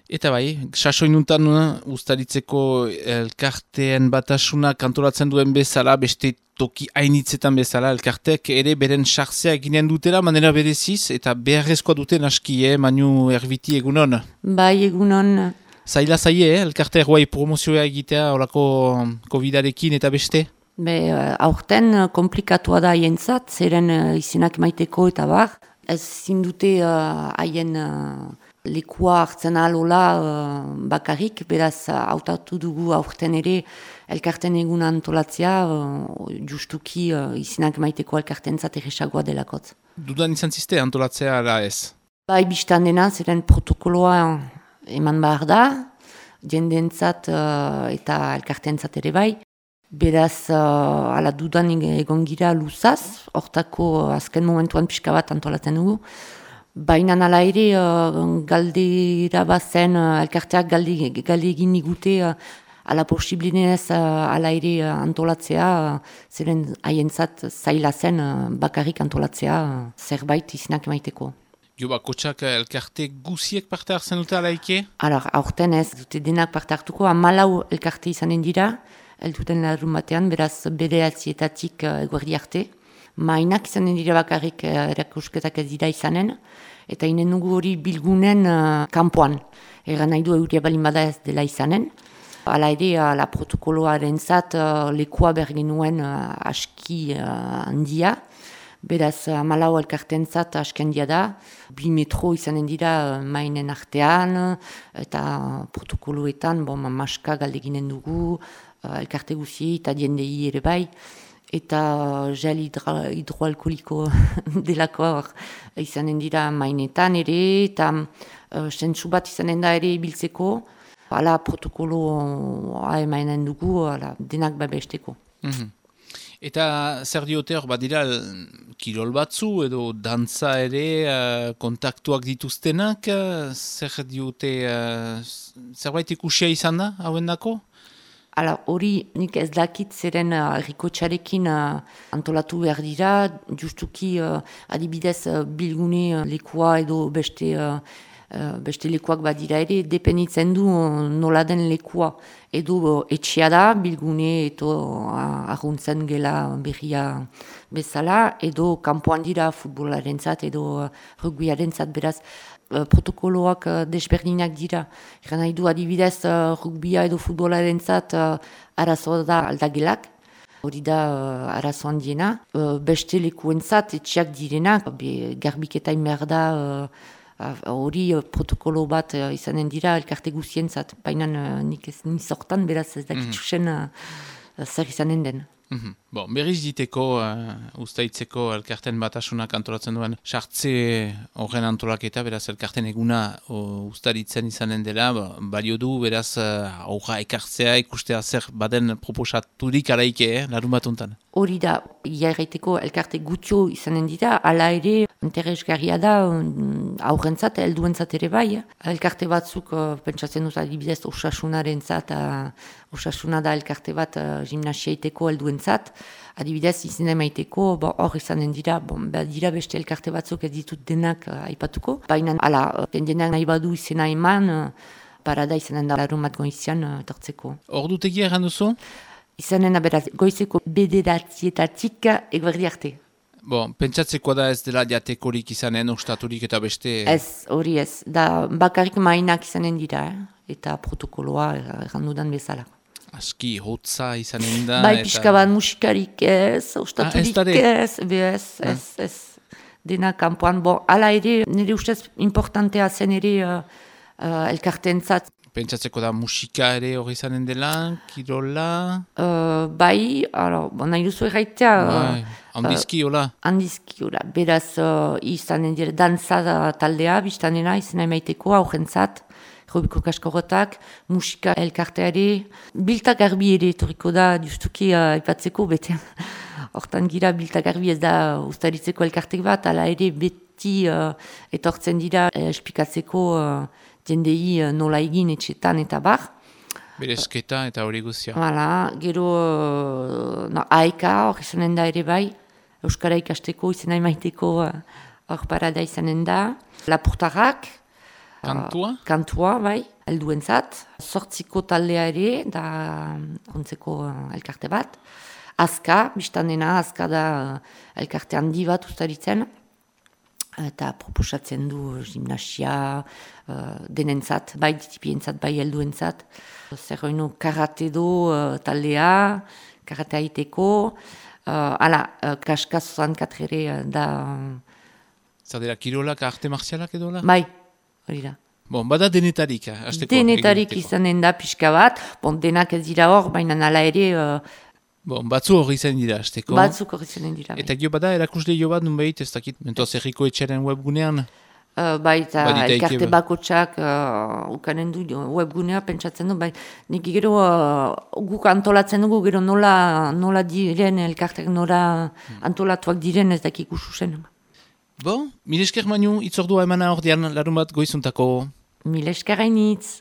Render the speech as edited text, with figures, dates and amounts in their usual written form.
Eta bai, sasoinuntan ustaritzeko elkarteen batasuna kantolatzen duen bezala, beste toki hainitzetan bezala, elkartek ere beren sartzea eginen dutela, manera bereziz, eta beharrezkoa duten aski, Manu Erbiti egunon. Bai, egunon. Zaila zaie, elkarte erguai promozioa egitea, horako COVID-arekin eta beste? Aurten komplikatua da haientzat, zeren izenak maiteko eta bar. Ez zindute haien lekua hartzen alola bakarrik, beraz hautatu dugu aurten ere elkarten egun antolatzea, justuki izenak maiteko elkartentzat erresagoa delakot. Dudan izan ziste antolatzea ala ez? Bai, biztan dena, zeren protokoloa eman behar da, jendentzat eta elkartentzat ere bai. Beraz, ala dudan egon gira luzaz, hortako azken momentuan pixka bat antolatzen dugu. Baina ala ere, galdera bazen, elkarteak galde egin nigute, ala posiblinez ala ere antolatzea, zeren haientzat zaila zen bakarrik antolatzea zerbait izenak emaiteko. Jo, kotxak elkarte guziek parte hartzen dute alaike? Aurten ez, dute denak parte hartuko, 14 elkarte izanen dira, elduten larun batean, beraz bederatzietatik eguerdi arte. Mainak izanen dira bakarrik erakusketak ez dira izanen, eta inen nugu hori bilgunen kanpoan. Egan nahi du euria balin bada ez dela izanen. Hala ere, la protokoloaren zat lekua bergenuen aski handia. Beraz, 14 elkarten zat aski handia da. 2 metro izanen dira mainen artean, eta protokoloetan, maska galdeginen dugu, elkarte guzi eta diendei ere bai, eta gel hidroalkoliko delako izanen dira mainetan ere, eta sentsu bat izanen da ere ibiltzeko, ala protokoloa emanen dugu, denak babesteko. Eta zer diote hor badira kirol batzu edo dantza ere kontaktuak dituztenak, zer diote zerbait ikusia izan da hauen dako? Hori nik ez dakit zeren errikotxarekin antolatu behar dira, justuki adibidez bilgune lekua edo beste lekuak badira ere, depenitzen du nola den lekua. Edo etxea da, bilgune edo arruntzen gela berria bezala, edo kanpoan dira futbolarentzat edo rugbiarentzat beraz, protokoloak desberdinak dira. Egan nahi du adibidez rugbia edo futbolarentzat arazoa da aldagelak. Hori da arazo handiena. Beste lekuentzat etxeak direnak, garbiketain behar da hori protokolo bat izanen dira elkarte guzientzat. Baina nik ez nizortan, beraz ez dakitzuzen zer izanen den. Berriz diteko, ustaitzeko elkarten batasunak antolatzen duen sartze horren antolaketa, beraz elkarten eguna ustaritzen izanen dela, balio du, beraz aurra ekartzea ikustea zer baden proposaturik araike, larun batuntan. Hori da, iairraiteko elkarte gutio izanen dira, ala ere interesgarria da aurrentzat, helduentzat ere bai. Elkarte batzuk pentsatzen dut adibidez osasunaren zat, osasuna da elkarte bat gimnasiaiteko helduentzat. Adibidez izena emaiteko, hor izanen dira, dira beste elkarte batzuk ez ditut denak aipatuko. Baina, denak nahi badu izena eman, parada izanen da larun bat goizian etortzeko. Hor dutegia erran duzu? Izanen beraz, goizeko bederatzietatik eguerdi arte. Pentsatzekoa da ez dela jatekorik izanen, ostaturik eta beste... Ez, hori ez. Da bakarrik mainak izanen dira, eta protokoloa errandudan bezala. Aski, hotza izanen da... Bai, pixka bat musikarik ez, ostaturik ez. Dena kanpoan, ala ere, nire ustez importantea zen ere elkartentzat. Pentsatzeko da musika ere hori izanen dela, kirola... Bai, nahi duzu erraitea... Handizki, hola? Handizki, hola. Beraz, izanen dira, danza taldea, biztanena, izena emaiteko, aurrentzat, Robiko Kaskorrotak, musika elkarteare, biltak garbi ere etoriko da, justuki aipatzeko, bete. Hortan gira, biltak garbi ez da ustaritzeko elkartek bat, ala ere beti etortzen dira esplikatzeko jendei nola egin etxetan eta bar. Berezketa eta hori guzia. Gero aeka hor izanen da ere bai, Euskara ikasteko izena emaiteko hor parada izanen da. Lapurtarrak, Kantua, bai, helduentzat. 8 taldea ere, da ontzeko elkarte bat. Azka, biztanena, azka da elkarte handi bat ustaritzen. Eta proposatzen du gimnasia, denentzat, bai ditipientzat, bai helduentzat. Zer hoino karate do taldea, karate haiteko. Kaska 64 ere da... Zer dira, kirolak, arte marzialak edo la? Bai, hori da. Bon, bada denetarik, hasteko. Denetarik izanen da pixka bat, denak ez dira hor, baina nala ere... batzu hori izan dira, hasteko. Batzuk hori izan dira. Eta gio bada, erakusle jo bat, nunbait, ez dakit, mentoaz erriko etxaren webgunean? Eta elkarte bakotxak ukanen du webgunea pentsatzen du, nik gero guk antolatzen dugu, gero nola diren elkartek, nola antolatuak diren ez dakik usuzen. Bon, mil esker Manu, itzordua emana ordean larun bat goizuntako. Mil esker hainitz.